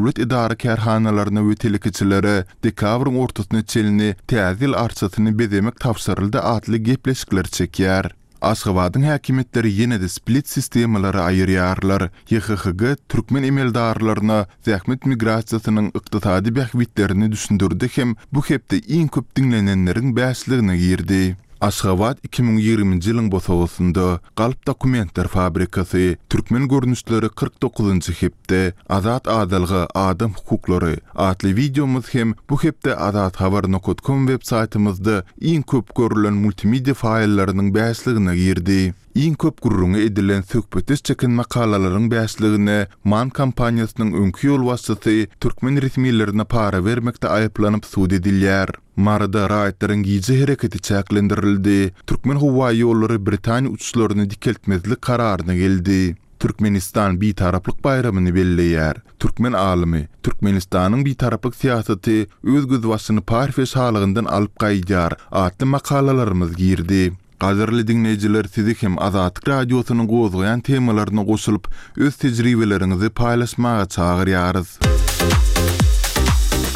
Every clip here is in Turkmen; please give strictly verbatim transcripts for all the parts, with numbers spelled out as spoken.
Döwlet edara-kärhanalaryna we telekeçilere dekabryň ortasyna çenli Täze ýyl arçasyny bezemek tabşyryldy atly gepleşikler çekýär. Aşgabadyň häkimiýetleri ýene-de split-sistemalary aýyrýarlar. Y H H G türkmen emeldarlaryna zähmet migrasiýasynyň ykdysady bähbitlerini düşündirdi hem bu hepde iň köp diňlenenleriň bäşligine girdi. Aşgabat iki müň ýigriminji ýylyň bosagasynda, Galp dokumentler fabrikasy, Türkmen görnüşleri kyrk dokuzynjy hepde, Azat adalga, adam hukuklary atly wideomyz hem bu hepde azathabar nokat com web saýtymyzda iň köp görülen multimedia faýllarynyň bäşligine girdi. Iň köp gürrüňi edilen söhbetdeş çeken makalalaryň bäşligine MAN kompaniýasynyň öňki ýolbaşçysy türkmen resmilerine para bermekde aýyplanyp sud edilýär. Maryda raýatlaryň gije hereketi çäklendirildi. Türkmen howa ýollary Britaniýa uçuşlaryny dikeltmezlik kararyna geldi. Türkmenistan Bitaraplyk baýramyny belleýär. Türkmen alymy, Türkmenistanyň bitaraplyk syýasaty öz gözbaşyny Parfiýa şalygyndan alyp gaýdýar atly makalalarymyz girdi. Gadyrly diňleýjiler, sizi hem Azatlyk Radiosynyň gozgaýan temalaryna goşulyp, öz tejribeleriňizi paýlaşmaga çagyrýarys.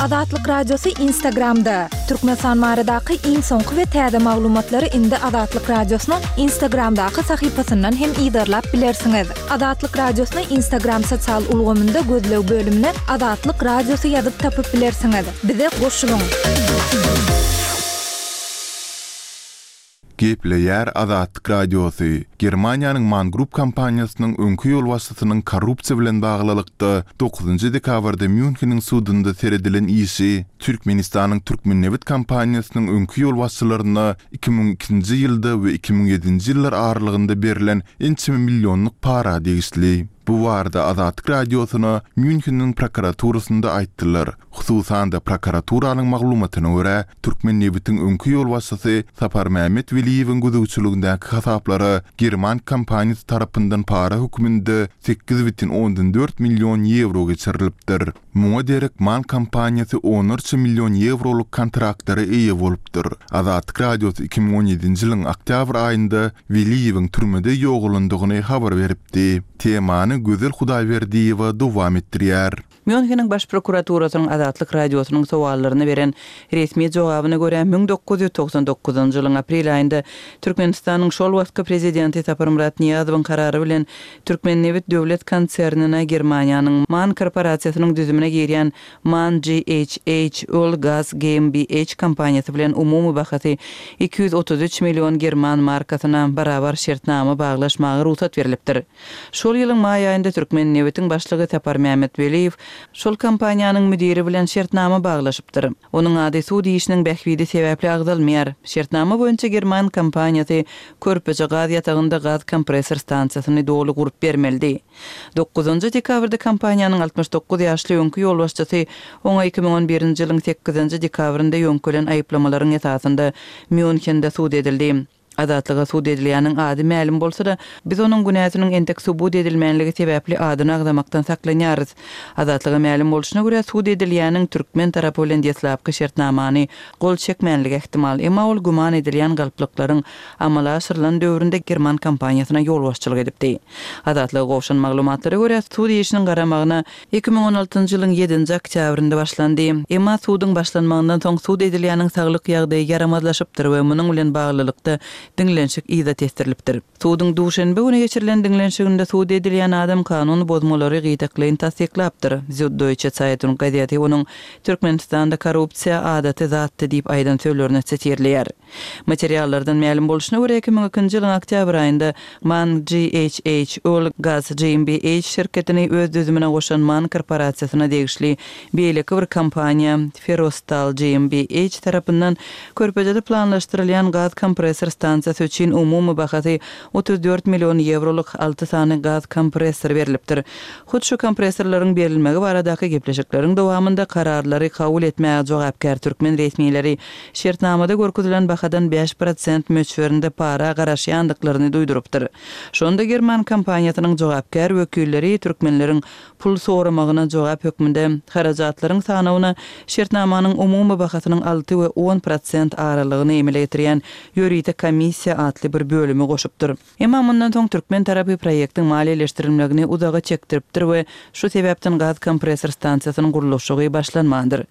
Azatlyk Radiosy Instagramda. Türkmenistan baradaky iň soňky we täze maglumatlary indi Azatlyk Radiosynyň Instagramdaky sahypasyndan hem yzarlap bilersiňiz. Azatlyk Radiosyny Instagram sosial ulgamynda gözleg bölümine Azatlyk Radiosy ýazyp tapyp bilersiňiz. Bize goşulyň. Gepleýär Azatlyk Radiosy. Germaniýanyň MAN Group kompaniýasynyň öňki ýolbaşçysynyň korrupsiýa bilen baglylykda dokuzynjy dekabrda Mýunheniň sudunda seredilen işi Türkmenistanyň Türkmennebit kompaniýasynyň öňki ýolbaşçylaryna iki müň ikinji ýylda we iki müň ýedinji ýyllar aralygynda berlen ençeme millionlyk para degişli. Bu barada Azatlyk Radiosyna Mýunheniň prokuraturasynda aýtdylar. Hususan-da prokuraturanyň maglumatyna görä, Türkmennebitiň öňki ýolbaşçysy Saparmämmet Weliýewiň gözegçiligindäki hasaplara german kompaniýasy tarapyndan para hökmünde sekiz bütin ondan dört million ýewro geçirilipdir. Muňa derek MAN kompaniýasy onlarça million ýewrolyk kontraktlara eýe bolupdyr. Azatlyk Radiosy iki müň on ýedinji ýylyň oktýabr aýynda Weliýewiň türmede ýogalandygyny habar beripdi. Temany Gözel Hudaýberdiýewa dowam etdirýär. Mýunheniň baş prokuraturasynyň Azatlyk Radiosynyň sowallaryna beren resmi jogabyna görä, müň dokuz ýüz togsan dokuzynjy ýylyň aprel aýynda Türkmenistanyň şol wagtky prezidenti Saparmyrat Nyýazowyň karary bilen Türkmennebit döwlet konsernine Germaniýanyň MAN korporasiýasynyň düzümine girýän MAN G H H Öl Gaz G M B H kompaniýasy bilen umumy bahasy iki ýüz otuz üç million german markasyna barabar şertnama baglaşmaga rugsat berlipdir. Şol ýylyň maý aýynda Türkmennebitiň başlygy Saparmämmet Weliýew şol kompaniýanyň müdiri bilen şertnama baglaşypdyr. Onuň ady sud işiniň bähbidi sebäpli agzalmaýar. Şertnama boýunça german kompaniýasy Körpeje gaz ýatagynda gaz kompressor stansiýasyny doly gurup bermelidi. Dokuzynjy dekabrda kompaniýanyň altmyş dokuz ýaşly öňki ýolbaşçysy oňa iki müň on birinji ýylyň sekizinji dekabrynda ýöňkelen aýyplamalaryň esasynda Mýunhende sud edildi. Azatlyga sud edilýäniň ady mälim bolsa-da, biz onuň günäsiniň entek subut edilmänligi sebäpli adyny agzamakdan saklanýarys. Azatlyga mälim bolşuna görä, sud edilýäniň türkmen tarapy bilen deslapky şertnamany gol çekmänligi ähtimal, emma ol güman edilýän galplyklaryň amala aşyrylan döwründe german kompaniýasyna ýolbaşçylyk edipdi. Azatlyga gowşan maglumatlara görä, sud işiniň garamagyna iki müň on altynjy ýylyň ýedinji oktýabrynda başlandy. Emma suduň başlanmagyndan soň sud edilýäniň saglyk ýagdaýy ýaramazlaşypdyr we munuň bilen baglylykda diňlenşik yza tesdirilipdir. Suduň duşenbe güni geçirilen diňlenşiginde sud edilýän adam kanun bozmalary gytaklaýyn tassyklapdyr. Süddeutsche Zeitung gazeti onuň Türkmenistanda korrupsiýa adaty zatdy diýip aýdan sözlerini sitirleýär. Materiallardan mälim bolşuna görä, iki müň ikinji ýylyň oktýabr aýynda MAN G H H Öl Gaz G M B H şirketini öz düzümine goşan MAN korporasiýasyna degişli beýleki bir kompaniýa Ferostal G M B H tarapyndan Körpejede planlaşdyrylýan gaz kompressor stansiýasy üçin umumy bahasy otuz dört million ýewrolyk alty sany gaz kompressor berlipdir. Hut şu kompressorlaryň berilmegi baradaky gepleşikleriň dowamynda kararlary kabul etmäge jogapkär türkmen resmileri şertnamada görkezilen bahadan bäş prosent möçberinde para garaşýandyklaryny duýdurypdyr. Şonda german kompaniýasynyň jogapkär wekilleri türkmenleriň pul soramagyna jogap hökmünde harajatlaryň sanawyna şertnamanyň umumy bahasynyň alty we on prosent aralygyny emele getirýän ýörite komissiýa komissiýa atly bir bölümi goşupdyr. Emma mundan soň türkmen tarapy proýektiň maliýeleşdirilmegini uzaga çekdiripdir we şu sebäpden gaz kompressor stansiýasynyň gurluşygy başlanmandyr.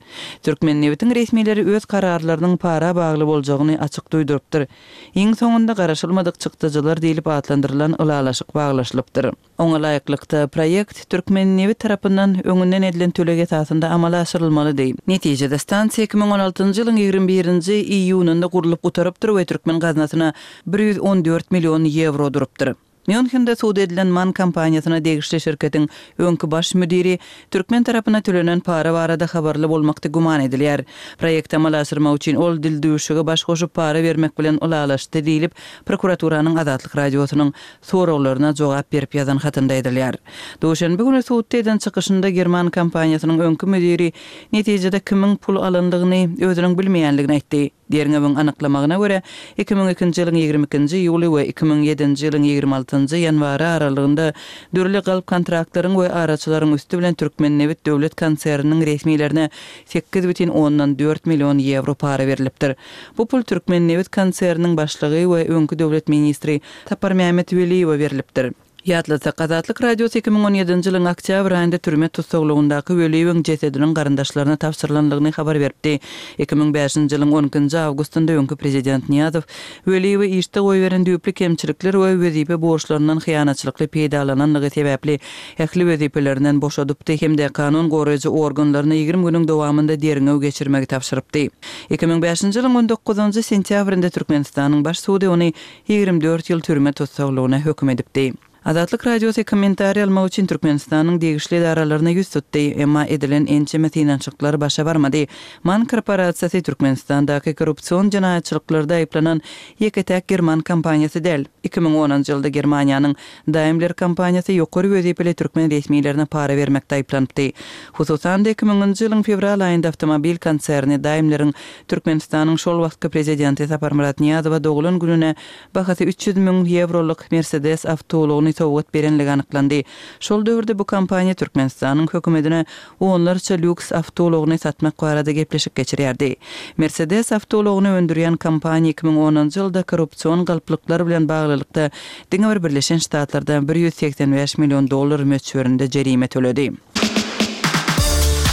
Türkmennebitiň resmileri öz kararlarynyň para bagly boljagyny açyk duýdurypdyr. Iň soňunda garaşylmadyk çykdajylar diýlip atlandyrylan ylalaşyk baglaşylypdyr. Oňa laýyklykda, proýekt Türkmennebit tarapyndan öňünden edilen töleg esasynda amala aşyrylmalydy. Netijede, stansiýa iki müň on altynjy ýylyň ýigrimi birinji iýunynda gurlup gutarypdyr we türkmen gaznasyna bir ýüz on dört million ýewro durupdyr. Mýunhende sud edilen MAN kompaniýasyna degişli şirketiň öňki baş müdiri türkmen tarapyna tölenen para barada habarly bolmakda güman edilýär. Proýekti amala aşyrmak üçin ol dildüwşüge baş goşup para bermek bilen ylalaşdy diýlip, prokuraturanyň Azatlyk Radiosynyň soraglaryna jogap berip ýazan hatynda aýdylýar. Duşenbe güni sudda eden çykyşynda german kompaniýasynyň öňki müdiri netijede kimiň pul alandygyny özüniň bilmeýändigini aýtdy. Derňewiň anyklamagyna görä, iki müň ikinji ýylyň ýigrimi ikinji iýuly we iki müň ýedinji ýylyň ýigrimi altynjy ýanwary aralygynda dürli galp kontraktlaryň we araçylaryň üsti bilen Türkmennebit döwlet konserniniň resmilerine sekiz bütin ondan dört million ýewro para berlipdir. Bu pul Türkmennebit konserniniň başlygy we öňki döwlet ministri Saparmämmet Weliýewe berlipdir. Ýatlatsak, Azatlyk Radiosy iki müň on ýedinji ýylyň oktýabr aýynda türme tussaglygyndaky Weliýewiň jesediniň garyndaşlaryna tabşyrylandygyny habar beripdi. Iki müň bäşinji ýylyň on ikinji awgustynda öňki prezident Nyýazow Weliýewi işde goýberen düýpli kemçilikler we wezipe borçlaryndan hyýanatçylykly peýdalananlygy sebäpli ähli wezipelerinden boşadypdy hem-de kanun goraýjy organlaryna ýigrimi günüň dowamynda derňew geçirmegi tabşyrypdy. Iki müň bäşinji ýylyň on dokuzynjy sentýabrynda Türkmenistanyň Baş sudy ony ýigrimi dört ýyl türme tussaglygyna höküm edipdi. Azatlyk Radiosy kommentariý almak üçin Türkmenistanyň degişli edaralaryna ýüz tutdy, emma edilen ençeme synanyşyklar başa barmady. MAN korporasiýasy Türkmenistandaky korrupsion jenaýatçylyklarda aýyplanan ýeke-täk german kompaniýasy däl. Iki müň onunjy ýylda Germaniýanyň Daimler kompaniýasy ýokary wezipeli türkmen resmilerine para bermekde aýyplanypdy. Hususan-da, iki müňünji ýylyň fewral aýynda awtomobil konserni Daimleriň Türkmenistanyň şol wagtky prezidenti Saparmyrat Nyýazowa doglan gününe bahasy üç ýüz müň ýewrolyk Mercedes awtoulagyny sowgat berenligi anyklandy. Şol döwürde bu kompaniýa Türkmenistanyň hökümetine onlarça lýuks awtoulagyny satmak barada gepleşik geçirýärdi. Mercedes awtoulagyny öndürýän kompaniýa iki müň onunjy ýylda korrupsion galplyklar bilen baglylykda diňe bir Birleşen Ştatlarda bir ýüz segsen bäş million dollar möçberinde jerime töledi.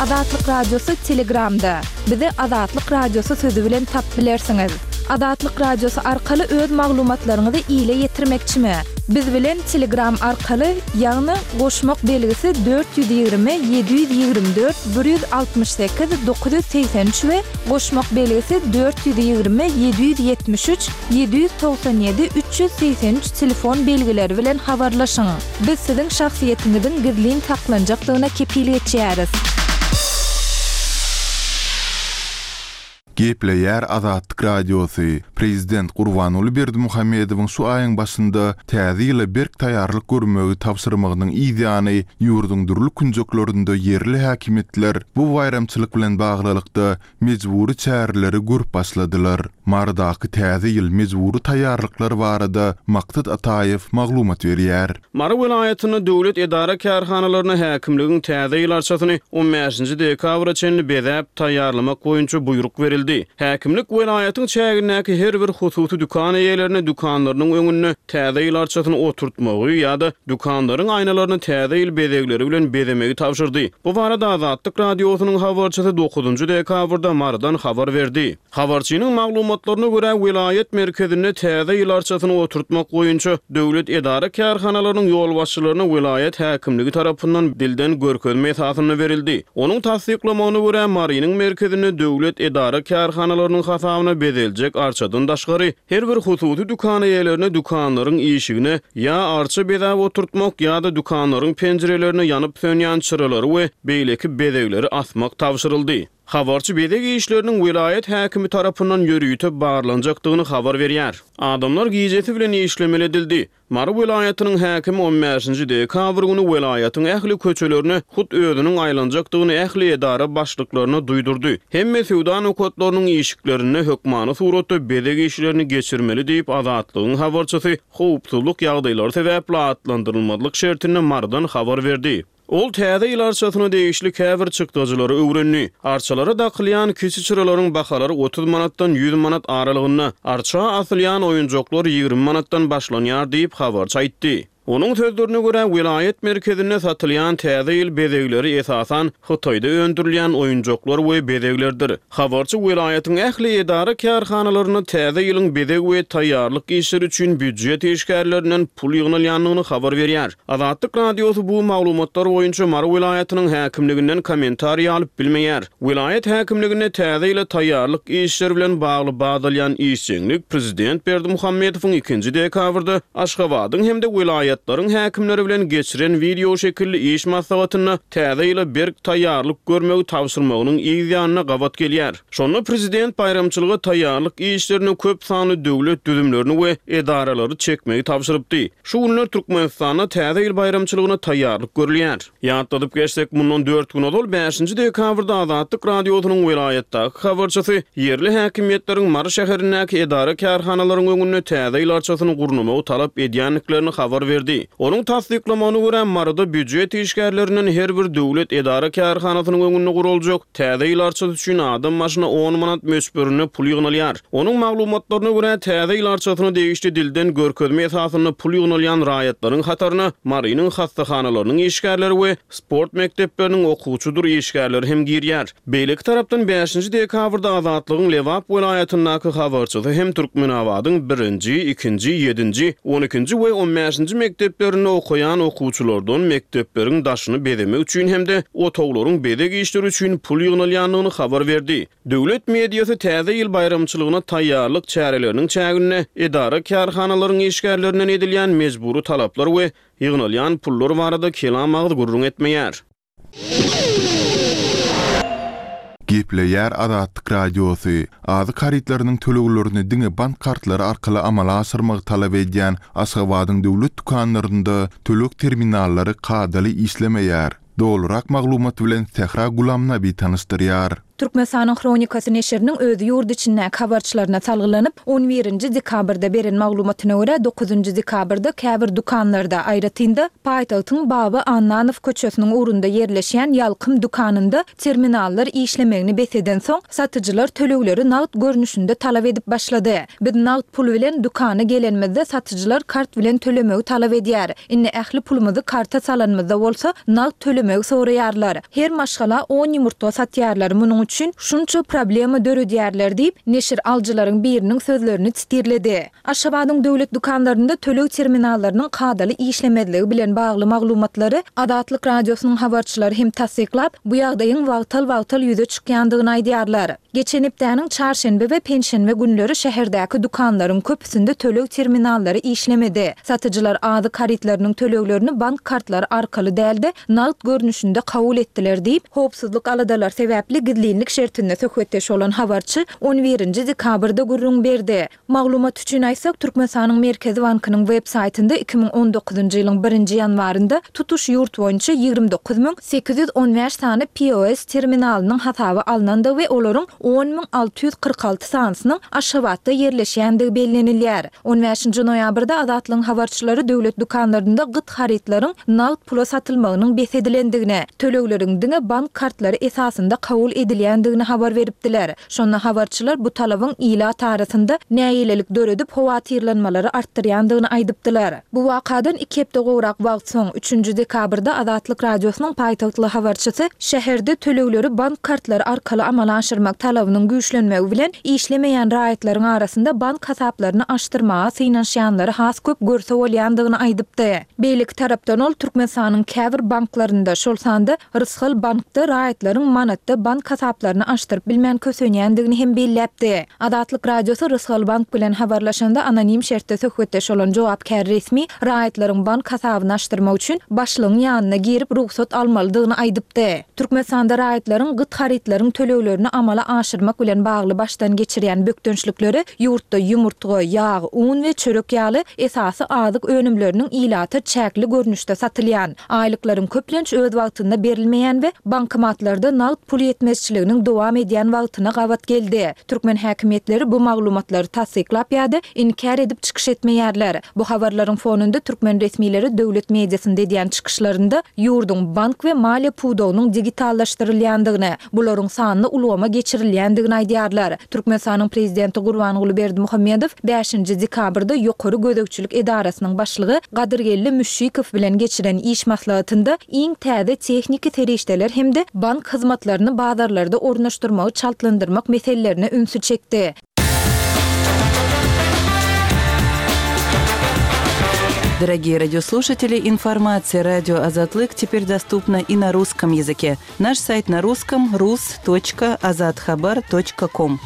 Azatlyk Radiosy Telegramda. Bizi Azatlyk Radiosy sözi bilen tap bilersiňiz. Azatlyk Radiosy arkaly öz maglumatlaryňyzy ile ýetirmekçimi? Biz bilen Telegram arkaly, ýagny goşmak belgisi dört ýüz ýigrimi, ýedi ýüz ýigrimi dört, bir ýüz altmyş sekiz, dokuz ýüz segsen üç we goşmak belgisi dört ýüz ýigrimi, ýedi ýüz ýetmiş üç, ýedi ýüz togsan ýedi, üç ýüz segsen üç telefon belgileri bilen habarlaşyň. Biz siziň şahsyýetiňiziň gizlin saklanjakdygyna kepil geçýäris. Gepleýär Azatlyk Radiosy. Prezident Gurbanguly Berdimuhamedowyň şu aýyň başynda täze ýyla berk taýýarlyk görmegi tabşyrmagynyň yz ýany ýurduň dürli künjeklerinde ýerli häkimiýetler bu baýramçylyk bilen baglylykda mejbury çäreleri görüp başladylar. Marydaky täze ýyl mejbury taýýarlyklar barada Maksat Ataýew maglumat berýär. Mary welaýatynda döwlet edara kärhanalaryna häkimligiň täze ýyl arçasyny on bäşinji dekabra çenli bezäp taýýarlamak boýunça buýruk berildi. Häkimlik welaýatyň çägindäki her bir hususy dükan eýelerine dükanlarynyň öňünde täze ýyl arçasyny oturtmagy ýa-da dükanlaryň aýnalaryny täze ýyl bezegleri bilen bezemegi tabşyrdy. Bu barada Azatlyk Radiosynyň habarçysy dokuzynjy dekabrda Marydan habar berdi. Habarçynyň maglumatlaryna görä welaýat merkezinde täze ýyl arçasyny oturtmak boýunça döwlet edara kärhanalarynyň ýolbaşçylaryna welaýat häkimligi tarapyndan dilden görkezme esasynda berildi. Onuň tassyklamagyna görä Marynyň merkezinde döwlet edara kärhanalarynyň hasabyna bezeljek arçadan daşgary her bir hususy dükan eýelerine dükanlaryň işigine ýa arça bezäp oturtmak ýa-da dükanlaryň penjirelerine ýanyp sönýän çyralary we beýleki bezegleri asmak tabşyryldy. Habarçy bezeg işleriniň welaýat häkimi tarapyndan ýörite barlanjakdygyny habar berýär. Adamlar gijesi bilen işlemeli edildi. Mary welaýatynyň häkimi on bäşinji dekabr güni welaýatyň ähli köçelerine hut özüniň aýlanjakdygyny ähli edara başlyklaryna duýdurdy. Hemme söwda nokatlarynyň işiklerinde hökmany suratda bezeg işlerini geçirmeli diýip Azatlygyň habarçysy howpsuzlyk ýagdaýlary sebäpli atlandyrylmazlyk şertinde Marydan habar berdi. Ol Täze ýyl arçasyna degişli käbir çykdajylary öwrendi. Arçalara dakylýan kiçi çyralaryň bahalary otuz manatdan ýüz manat aralygynda, arça asylýan oýunjaklar ýigrimi manatdan başlanýar diýip, habarçy aýtdy. Onuň sözlerine görä, welaýat merkezinde satylýan Täze ýyl bezegleri esasan Hytaýda öndürilýän oýunjaklar we bezeglerdir. Habarçy welaýatyň ähli edara-kärhanalarynda Täze ýylyň bezeg we taýýarlyk işleri üçin býujet işgärlerinden pul ýygnalýandygyny habar berýär. Azatlyk Radiosy bu maglumatlar boýunça Mary welaýatynyň häkimliginden kommentariý alyp bilmeýär. Welaýat häkimliginde Täze ýyla taýýarlyk işleri bilen bagly badalýan işjeňlik prezident Berdimuhamedowyň ikinji dekabrda Aşgabadyň hem-de welaýatlaryň häkimleri bilen geçiren wideo şekilli iş maslahatynda Täze ýyla berk taýýarlyk görmegi tabşyrmagynyň yz ýanyna gabat gelýär. Şonda prezident baýramçylyga taýýarlyk işlerine köp sanly döwlet düzümlerini we edaralary çekmegi tabşyrypdy. Şu günler Türkmenistanda Täze ýyl baýramçylygyna taýýarlyk görülýär. Ýatladyp geçsek, mundan dört gün ozal bäşinji dekabrda Azatlyk Radiosynyň welaýatdaky habarçysy ýerli häkimiýetleriň Mary şäherindäki edara-kärhanalaryň öňünde Täze ýyl arçasyny gurnamagy talap edýändiklerini habar berdi. Onuň tassyklamagyna görä, Maryda býujet işgärlerinden her bir döwlet edara-kärhanasynyň öňünde guruljak Täze ýyl arçasy üçin adam başyna on manat möçberinde pul ýygnalýar. Onuň maglumatlaryna görä, Täze ýyl arçasyna degişli dilden görkezme esasynda pul ýygnalýan raýatlaryň hataryna Marynyň hassahanalarynyň işgärleri we sport mekdepleriniň okuwçydyr işgärleri hem girýär. Beýleki tarapdan bäşinji dekabrda Azatlygyň Lebap welaýatyndaky habarçysy hem Türkmenabadyň birinji, ikinji, ýedinji, on ikinji we on bäşinji mekdeplerinde okaýan okuwçylardan mekdepleriň daşyny bezemek üçin hem-de otaglaryň bezeg işleri üçin pul ýygnalýandygyny habar berdi. Döwlet mediasy Täze ýyl baýramçylygyna taýýarlyk çäreleriniň çäginde edara-kärhanalaryň işgärlerinden edilýän mejbury talaplar we ýygnalýan pullar barada kelam agyz gürrüň etmeýär. Gepleýär Azatlyk Radiosy, Azyk harytlarynyň töleglerini diňe bank kartlary arkaly amala aşyrmagy talap edýän Aşgabadyň döwlet dükanlarynda töleg terminallary kadaly işlemeýär. Dolurak maglumat bilen Sähra Gulamnabi tanyşdyrýar. Türkmenistanyň Hronikasy neşiriniň öz ýurt içindäki habarçylaryna salgylanyp, on birinji dekabrda beren maglumatyna görä, dokuzynjy dekabrda käbir dükanlarda, aýratyn-da, paýtagtyň Baba Annanow köçesiniň ugrunda ýerleşýän Ýalkym dükanynda terminallar işlemegini bes edensoň, satyjylar tölegleri nagt görnüşinde talap edip başlady. Biz nagt pul bilen dükana gelenimizde satyjylar kart bilen tölemegi talap edýär. Indi ähli pulumyzy karta salanymyzda bolsa nagt tölemegi soraýarlar. Her maşgala on ýumurtga satýarlar. Munuň üçin şunça problema döredýärler diýip, neşir alyjylaryň biriniň sözlerini titirledi. Aşgabadyň döwlet dükanlarynda töleg terminallarynyň kadaly işlemezligi bilen bagly maglumatlary Azatlyk Radiosynyň habarçylary hem tassyklap, bu ýagdaýyň wagtal-wagtal ýüze çykýandygyny aýdýarlar. Geçen hepdäniň çarşenbe we penşenbe günleri şäherdäki dükanlaryň köpüsinde töleg terminallary işlemedi. Satyjylar azyk harytlarynyň töleglerini bank kartlary arkaly däl-de, nagt görnüşinde kabul etdiler diýip, howpsuzlyk aladalary sebäpli gizlinlik şertinde söhbetdeş bolan habarçy on birinji dekabrda gürrüň berdi. Maglumat üçin aýtsak, Türkmenistanyň Merkezi bankynyň web saýtynda iki müň on dokuzynjy ýylyň birinji ýanwarynda tutuş ýurt boýunça ýigrimi dokuz müň sekiz ýüz on bäş sany P O S terminalynyň hasaba alnandygy we olaryň on müň alty ýüz kyrk alty sanysynyň Aşgabatda ýerleşýändigi bellenilýär. On bäşinji noýabrda Azatlygyň habarçylary döwlet dükanlarynda gyt harytlaryň nagt pula satylmagynyň bes edilendigini, tölegleriň diňe bank kartlary esasynda kabul edilýändigini habar beripdiler. Şonda habarçylar bu talabyň ilat arasynda nägilelik döredip howatyrlanmalary artdyrýandygyny aýdypdylar. Bu wakadan iki hepde gowrak wagt soň, üçünji dekabrda Azatlyk Radiosynyň paýtagtly habarçysy şäherde tölegleri bank kartlary arkaly amala aşyrmak talabynyň güýçlenmegi bilen işlemeýän raýatlaryň arasynda bank hasaplaryny açdyrmaga synanyşýanlary has köp görse bolýandygyny aýdypdy. Beýleki tarapdan ol Türkmenistanyň käbir banklarynda, şol sanda Rysgal bankda raýatlaryň manatda bank hasaplaryny açdyryp bilmän kösenýändigini hem belläpdi. Azatlyk Radiosy Rysgal bank bilen habarlaşanda anonim şertde söhbetdeş bolan jogapkär resmi raýatlaryň bank hasabyny açdyrmak üçin başlygyň ýanyna girip rugsat almalydygyny aýdypdy. Türkmenistanda raýatlaryň gyt harytlaryň töleglerini amala aşyrmak bilen bagly başdan geçirýän bökdençlikleri ýurtda ýumurtga, ýag, un we çörek ýaly esasy azyk önümleriniň ilata çäkli görnüşde satylýan, aýlyklaryň köplenç öz wagtynda berilmeýän we bankomatlarda nagt pul ýetmezçiligine gözegçiliginiň dowam edýän wagtyna gabat geldi. Türkmen häkimiýetleri bu maglumatlary tassyklap ýa-da inkär edip çykyş etmeýärler. Bu habarlaryň fonunda türkmen resmileri döwlet mediasynda edýän çykyşlarynda ýurduň bank we maliýe pudagynyň digitallaşdyrylýandygyny, bularyň sanly ulgama geçirilýändigini aýdýarlar. Türkmenistanyň prezidenti Gurbanguly Berdimuhamedow bäşinji dekabrda Ýokary gözegçilik edarasynyň başlygy Gadyrgeldi Müşşikow bilen geçiren iş maslahatynda iň täze tehniki serişdeler hem-de bank hyzmatlaryny bazarlarda ornaşdyrmagy çaltlandyrmak meselelerine ünsi çekdi. Дорогие радиослушатели, информация радио Азатлык теперь доступна и на русском языке. Наш сайт на русском rus.azathabar.com.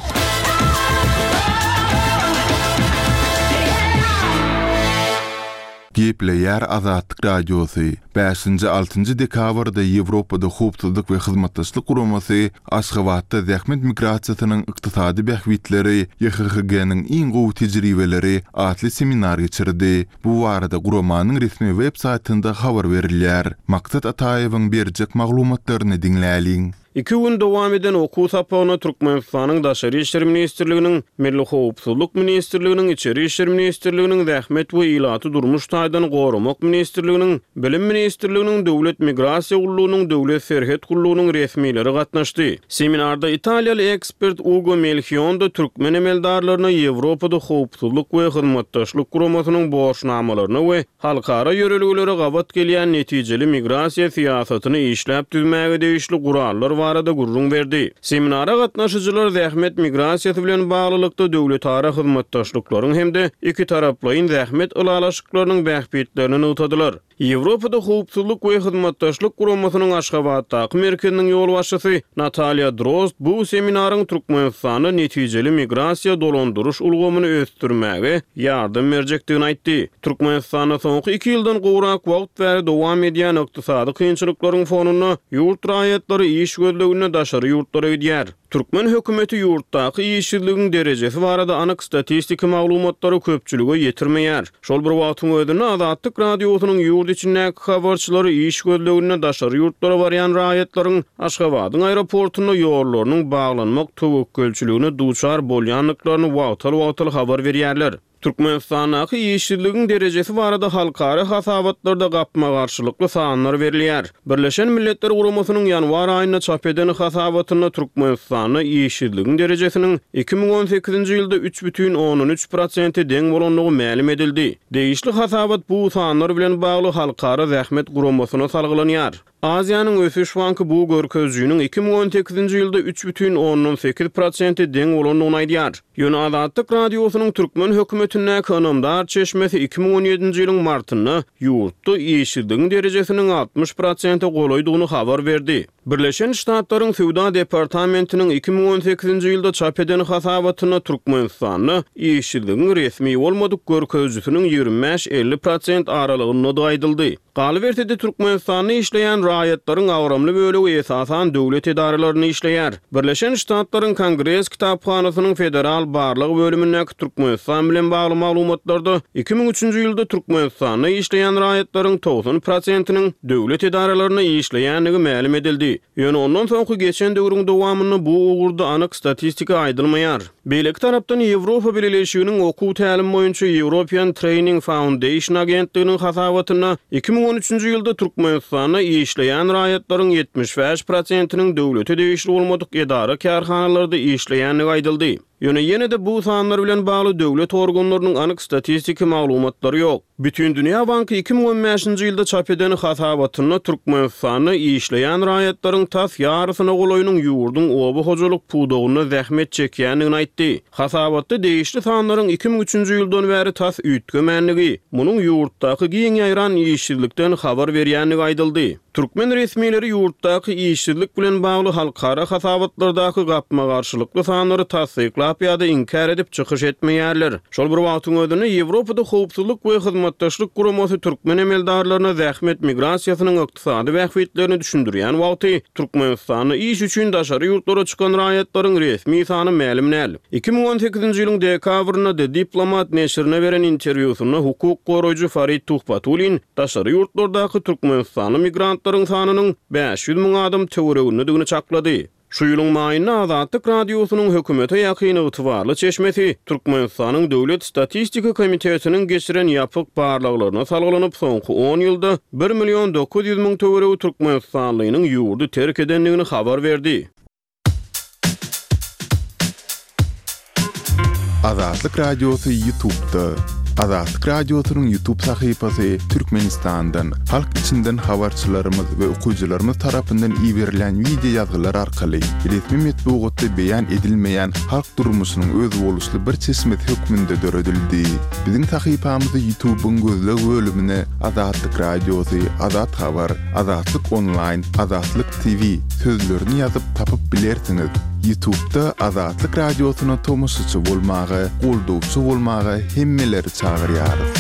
Gepleýär Azatlyk Radiosy. Bäşinji, altynjy dekabrda Ýewropada Howpsuzlyk we Hyzmatdaşlyk Guramasy Aşgabatda Zähmet migrasiýasynyň ykdysady bähbitleri, YHHG-niň iň gowy tejribeleri atly seminar geçirdi. Bu barada guramanyň resmi web saýtynda habar berilýär. Maksat Ataýewiň berjek maglumatlaryny diňläliň. Iki gün dowam eden okuw sapagyna Türkmenistanyň Daşary işler ministrliginiň, Milli howpsuzlyk ministrliginiň, Içeri işler ministrliginiň, Zähmet we ilaty durmuş taýdan goramak ministrliginiň, Bilim ministrliginiň, Döwlet migrasiýa gullugynyň, Döwlet serhet gullugynyň resmileri gatnaşdy. Seminarda italiýaly ekspert Ugo Melhiondo türkmen emeldarlaryna Ýewropada Howpsuzlyk we Hyzmatdaşlyk Guramasynyň borçnamalaryna we halkara ýörelgelere gabat gelýän netijeli migrasiýa syýasatyny işläp düzmäge degişli gurallar barada gürrüň berdi. Seminara gatnaşyjylar zähmet migrasiýasy bilen baglylykda döwletara hyzmatdaşlyklaryň hem-de ikitaraplaýyn zähmet ylalaşyklarynyň bähbitlerini nygtadylar. Ýewropada Howpsuzlyk we Hyzmatdaşlyk Guramasynyň Aşgabatdaky merkeziniň ýolbaşçysy Natalýa Drozd bu seminaryň Türkmenistanda netijeli migrasiýa dolandyryş ulgamyny ösdürmäge ýardam berjekdigini aýtdy. Türkmenistanda soňky iki ýyldan gowrak wagt bäri dowam edýän ykdysady kynçylyklaryň fonunda ýurt raýatlary iş gözleginde daşary ýurtlara gidýär. Türkmen hökümeti ýurtdaky işsizligiň derejesi barada anyk statistiki maglumatlary köpçülige ýetirmeýär. Şol bir wagtyň özünde Azatlyk Radiosynyň ýurt içindäki habarçylary iş gözleginde daşary ýurtlara barýan raýatlaryň Aşgabadyň aeroportunda ýollarynyň baglanmak töwekgelçiligine duçar bolýandyklaryny wagtal-wagtal habar berýärler. Türkmenistandaky işsizligiň derejesi barada halkara hasabatlarda gapma-garşylykly sanlar berilýär. Birleşen Milletler Guramasynyň ýanwar aýynda çap eden hasabatynda Türkmenistanda işsizligiň derejesiniň iki müň on sekizinji ýylda üç bütin ondan üç prosente deň bolandygy mälim edildi. Degişli hasabat bu sanlar bilen bagly Halkara Zähmet Guramasyna salgylanýar. Aziýanyň Ösüş Banky bu görkezijiniň iki müň on sekizinji ýylda üç bütin ondan sekiz prosente deň bolandygyny aýdýar. Ýöne Azatlyk Radiosynyň türkmen hökümetindäki ynamdar çeşmesi iki müň on ýedinji ýylyň martynda ýurtda işsizligiň derejesiniň altmyş prosente golaýdygyny habar berdi. Birleşen Ştatlaryň Söwda Departamentiniň iki müň on sekizinji ýylda çap eden hasabatynda Türkmenistanda işsizligiň resmi bolmadyk görkezijisiniň ýigrimi bäş-elli prosent aralygyndadygy aýdyldy. Galyberse-de Türkmenistanda işleýän raýatlaryň agramly bölegi esasan döwlet edaralarynda işleýär. Birleşen Ştatlaryň Kongres kitaphanasynyň federal barlag bölümindäki Türkmenistan bilen bagly maglumatlarda iki müň üçünji ýylda Türkmenistanda işleýän raýatlaryň togsan prosentiniň döwlet edaralarynda işleýändigi mälim edildi. Ýöne ondan soňky geçen döwrüň dowamynda bu ugurda anyk statistika aýdylmaýar. Beýleki tarapdan Ýewropa Bileleşiginiň okuw tälim boýunça European Training Foundation agentliginiň hasabatynda iki müň on üçünji ýylda Türkmenistanda işleýän raýatlaryň ýetmiş bäş prosentiniň döwlete degişli bolmadyk edara kärhanalarda işleýändigi aýdyldy. Ýöne ýene-de bu sanlar bilen bagly döwlet organlarynyň anyk statistiki maglumatlary ýok. Bütindünýä Banky iki müň on bäşinji ýylda çap eden hasabatynda Türkmenistanda işleýän raýatlaryň tas ýarysyna golaýynyň ýurduň oba hojalyk pudagynda zähmet çekýändigini aýtdy. Hasabatda degişli sanlaryň iki müň üçünji ýyldan bäri tas üýtgemändigi, munuň ýurtdaky giň ýaýran işsizlikden habar berýändigi aýdyldy. Türkmen resmileri ýurtdaky işsizlik bilen bagly halkara hasabatlardaky gapma-garşylykly sanlary tassyklap ýa-da inkär edip çykyş etmeýärler. Şol bir wagtyň özünde Ýewropada Howpsuzlyk we Hyzmatdaşlyk Guramasy türkmen emeldarlaryna zähmet migrasiýasynyň ykdysady bähbitlerini düşündirýän wagty Türkmenistanda iş üçin daşary ýurtlara çykan raýatlaryň resmi sany mälim däl. Iki müň on sekizinji ýylyň dekabrynda The Diplomat neşirine beren interwýusynda hukuk goraýjy Farid Tuhbatullin daşary ýurtlardaky türkmenistanly migrantlaryň sanynyň bäş ýüz müň adam töweregindedigini çaklady. Şu ýylyň maýynda Azatlyk Radiosynyň hökümete ýakyn ygtybarly çeşmesi Türkmenistanyň Döwlet statistika komitetiniň geçiren ýapyk barlaglaryna salgylanyp, soňky on ýylda bir million dokuz ýüz müň töweregi türkmenistanlynyň ýurdy terk edendigini habar berdi. Azatlyk Radiosy YouTube'da. Azatlyk Radiosynyň YouTube sahypasy Türkmenistandan, halk içinden habarçylarymyz we okyjylarymyz tarapyndan iberilýän wideo ýazgylar arkaly resmi metbugatda beýan edilmeýän halk durmuşynyň özboluşly bir çeşmesi hökmünde döredildi. Biziň sahypamyzy YouTube'yň gözleg bölümine Azatlyk Radiosy, Azat Habar, Azatlyk Online, Azatlyk T V sözlerini ýazyp tapyp bilersiňiz. YouTube'da Azatlyk Radiosyna tomaşaçy bolmaga, goldawçy bolmaga hemmeleri çagyrýarys.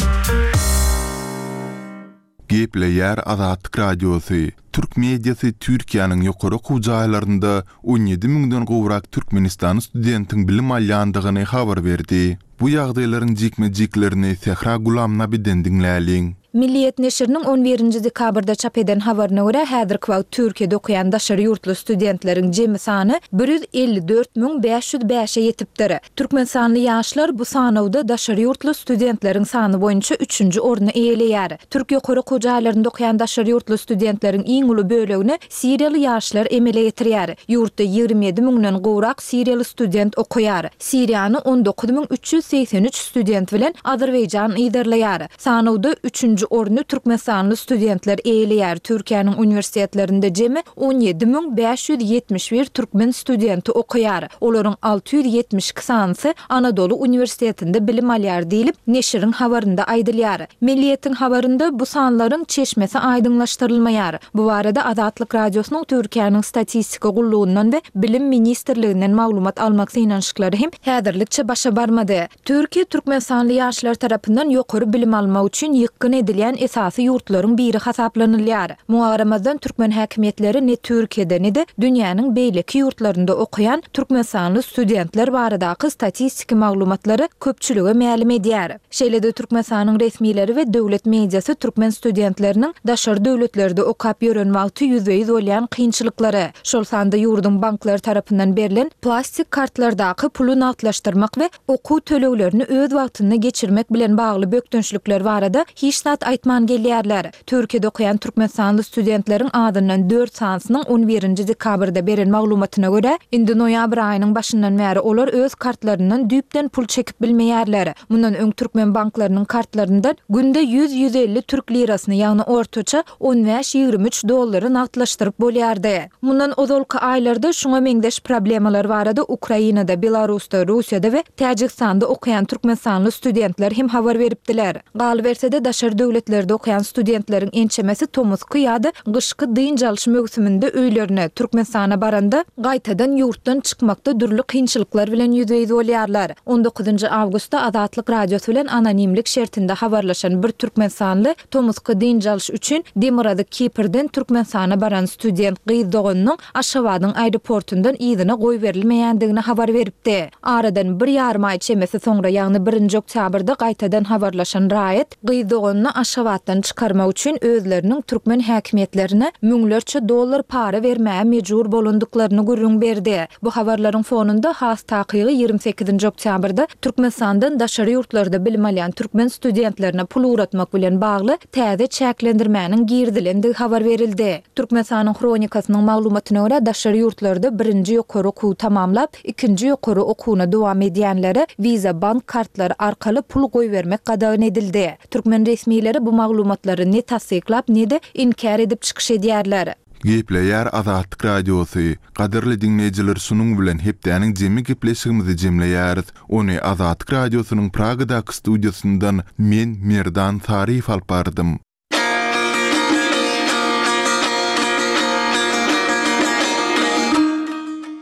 Gepleýär Azatlyk Radiosy. Türk mediasy Türkiýäniň ýokary okuw jaýlarynda on ýedi müňden gowrak Türkmenistanyň studentiň bilim alýandygyny habar berdi. Bu ýagdaýlaryň jikme-jiklerini Sähra Gulamnabiden diňläliň. Milliýet neşiriniň on birinji dekabrda çap eden habaryna görä, häzirki wagt Türkiýede okaýan daşary ýurtly studentleriň jemi sany bir ýüz elli dört müň bäş ýüz bäşe ýetipdir. Türkmenistanly ýaşlar bu sanawda daşary ýurtly studentleriň sany boýunça üçünji orny eýeleýär. Türk ýokary okuw jaýlarynda okaýan daşary ýurtly studentleriň iň uly bölegini Siriýaly ýaşlar emele getirýär. Ýurtda ýigrimi ýedi müňden gowrak Siriýaly student okaýar. Siriýany on dokuz müň üç ýüz segsen üç student bilen Azerbaýjan yzarlaýar. Sanawda üçünji orny Türkmenistanly studentler eýeleýär. Türkiýäniň uniwersitetlerinde jemi on ýedi müň bäş ýüz ýetmiş bir türkmen studenti okaýar. Olaryň alty ýüz ýetmiş iki sanysy Anadolu Uniwersitetinde bilim alýar diýlip, neşiriň habarynda aýdylýar. Milliýetiň habarynda bu sanlaryň çeşmesi aýdyňlaşdyrylmaýar. Bu barada Azatlyk Radiosynyň Türkiýäniň statistika gullugyndan we Bilim Ministrliginden maglumat almak synanyşyklary hem häzirlikçe başa barmady. Türkiýe Türkmenistanly ýaşlar tarapyndan ýokary bilim almak üçin ýykgyn edilýän esasy ýurtlaryň biri hasaplanylýar. Muňa garamazdan türkmen häkimiýetleri ne Türkiýede ne-de dünýäniň beýleki ýurtlarynda okaýan Türkmenistanly studentler baradaky statistiki maglumatlary köpçülige mälim edýär. Şeýle-de Türkmenistanyň resmileri we döwlet mediasy türkmen studentleriniň daşary döwletlerde okap ýören wagty ýüzbe-ýüz bolýan kynçylyklary, şol sanda ýurduň banklary tarapyndan berlen plastik kartlardaky puly nagtlaşdyrmak we okuw töleglerini öz wagtynda geçirmek bilen bagly bökdençlikler barada hiç zat aýtman gelýärler. Türkiýede okaýan Türkmenistanly studentleriň adyndan dört sanysynyň on birinji dekabrda beren maglumatyna görä, indi noýabr aýynyň başyndan bäri olar öz kartlaryndan düýpden pul çekip bilmeýärler. Mundan öň türkmen banklarynyň kartlaryndan günde ýüz ýüz elli türk lirasyny, ýagny ortaça on bäş ýigrimi üç dollary nagtlaşdyryp bolýardy. Mundan ozalky aýlarda şuňa meňzeş problemalar barada Ukrainada, Belarusda, Russiýada we Täjigistanda okaýan Türkmenistanly studentler hem habar beripdiler. Galyberse-de daşary döwletlerde okaýan studentleriň ençemesi tomusky ýa-da gyşky dynç alyş möwsüminde öýlerine, Türkmenistana baranda gaýtadan ýurtdan çykmakda dürli kynçylyklar bilen ýüzbe-ýüz bolýarlar. on dokuzynjy awgustda Azatlyk Radiosy bilen anonimlik şertinde habarlaşan bir türkmenistanly tomusky dynç alyş üçin Demirgazyk Kiprden Türkmenistana baran student gyz doganynyň Aşgabadyň aeroportundan yzyna goýberilmeýändigini habar beripdi. Aradan bir ýarym aý çemesi soňra, ýagny birinji oktýabrda gaýtadan habarlaşan raýat gyz doganyny Aşgabatdan çykarmak üçin özleriniň türkmen häkimiýetlerine müňlerçe dollar para bermäge mejbur bolandyklaryny gürrüň berdi. Bu habarlaryň fonunda has takygy ýigrimi sekizinji oktýabrda Türkmenistandan daşary ýurtlarda bilim alýan türkmen studentlerine pul ugratmak bilen bagly täze çäklendirmäniň girizilendigi habar berildi. Türkmenistanyň Hronikasynyň maglumatyna görä, daşary ýurtlarda birinji ýokary okuwy tamamlap, ikinji ýokary okuwyna dowam edýänlere Visa bank kartlary arkaly pul goýbermek gadagan edildi. Türkmen resmileri bu maglumatlary ne tassyklap, ne-de inkär edip çykyş edýärler. Gepleýär Azatlyk Radiosy. Gadyrly diňleýjiler, şunuň bilen hepdäniň jemi gepleşigimizi jemleýäris. Ony Azatlyk Radiosynyň Pragadaky studiýasyndan men Merdan Saryýew alyp bardym.